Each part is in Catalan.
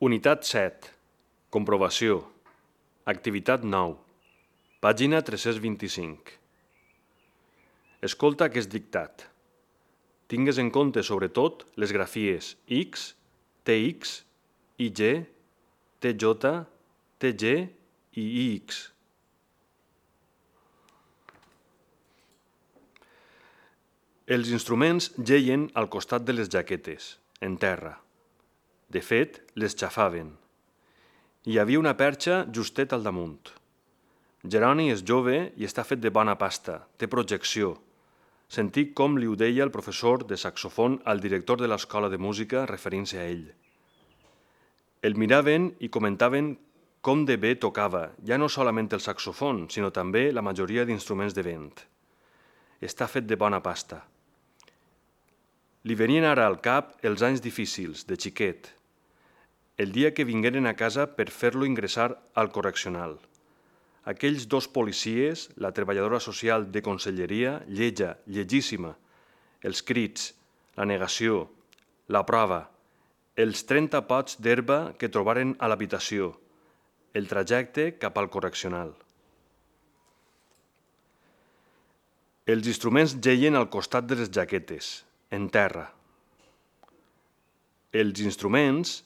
Unitat 7. Comprovació. Activitat 9. Pàgina 325. Escolta aquest dictat. Tingues en compte, sobretot, les grafies X, TX, IG, TJ, TG i IX. Els instruments geien al costat de les jaquetes, en terra. De fet, les xafaven. Hi havia una perxa justet al damunt. Jeroni és jove i està fet de bona pasta, té projecció. Sentic com li ho deia el professor de saxofon al director de l'escola de música referint-se a ell. El miraven i comentaven com de bé tocava, ja no solament el saxofon, sinó també la majoria d'instruments de vent. Està fet de bona pasta. Li venien ara al cap els anys difícils, de xiquet. El dia que vingueren a casa per fer-lo ingressar al correccional. Aquells dos policies, la treballadora social de conselleria, lletja, llegíssima, els crits, la negació, la prova, els 30 pots d'herba que trobaren a l'habitació, el trajecte cap al correccional. Els instruments geien al costat de les jaquetes, en terra. Els instruments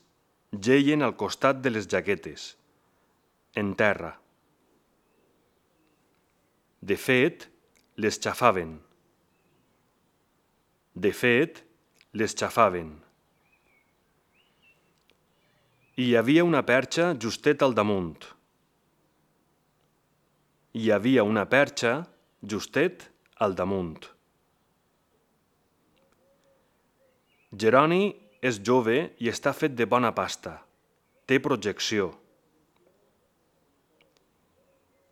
geien al costat de les jaquetes, en terra. De fet, les xafaven. De fet, les xafaven. Hi havia una perxa justet al damunt. Hi havia una perxa justet al damunt. Jeroni és jove i està fet de bona pasta. Té projecció.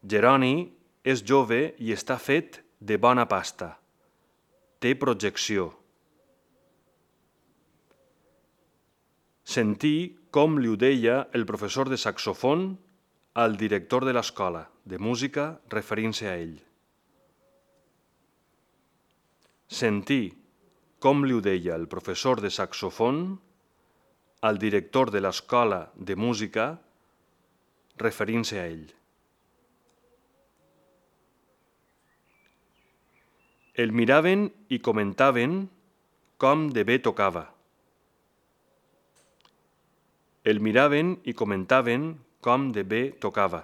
Jeroni és jove i està fet de bona pasta. Té projecció. Sentí com li ho deia el professor de saxofon al director de l'escola de música referint-se a ell. Sentí com li ho deia el professor de saxofon al director de l'escola de música referint-se a ell. El miraven i comentaven com de bé tocava. El miraven i comentaven com de bé tocava.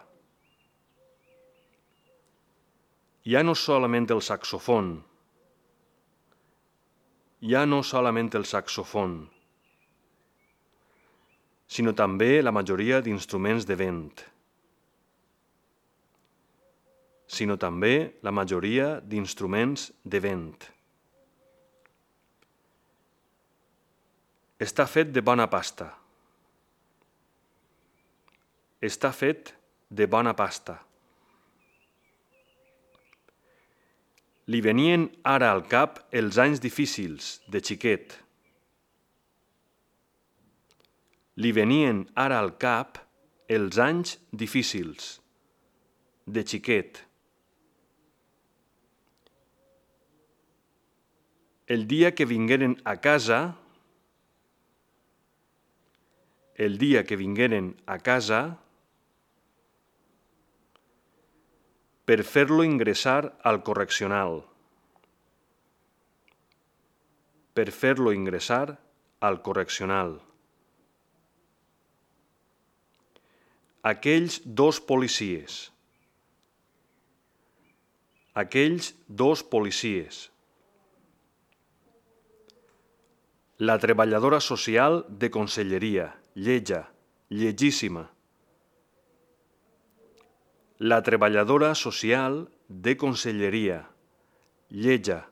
Ja no solament el saxofon, sinó també la majoria d'instruments de vent. Està fet de bona pasta. Està fet de bona pasta. Li venien ara al cap els anys difícils, de xiquet. Li venien ara al cap els anys difícils, de xiquet. El dia que vingueren a casa, per fer-lo ingressar al correccional. Aquells dos policies. La treballadora social de conselleria, lletja, llegíssima. La treballadora social de conselleria, lletja,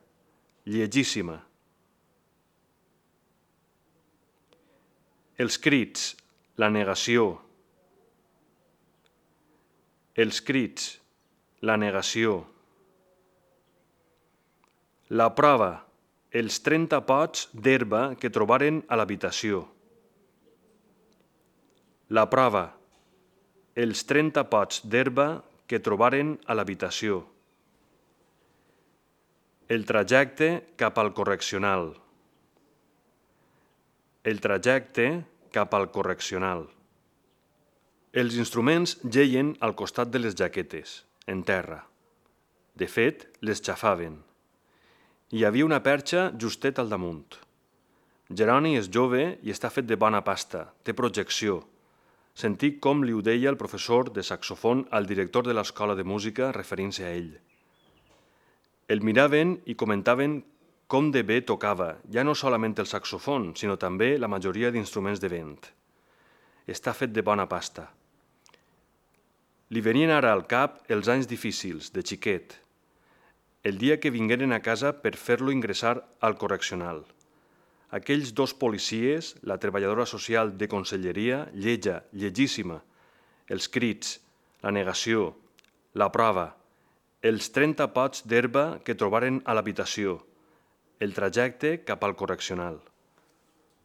llegíssima. Els crits, la negació. La prova, els 30 pots d'herba que trobaren a l'habitació. La prova, els 30 pots d'herba que trobaren a l'habitació. El trajecte cap al correccional. El trajecte cap al correccional. Els instruments geien al costat de les jaquetes, en terra. De fet, les xafaven. Hi havia una perxa justet al damunt. Jeroni és jove i està fet de bona pasta, té projecció. Sentic com li ho deia el professor de saxofon al director de l'escola de música referint-se a ell. El miraven i comentaven com de bé tocava, ja no solament el saxofon, sinó també la majoria d'instruments de vent. Està fet de bona pasta. Li venien ara al cap els anys difícils, de xiquet. El dia que vingueren a casa per fer-lo ingressar al correccional. Aquells dos policies, la treballadora social de conselleria, lletja, llegíssima, els crits, la negació, la prova, els 30 pots d'herba que trobaren a l'habitació, el trajecte cap al correccional.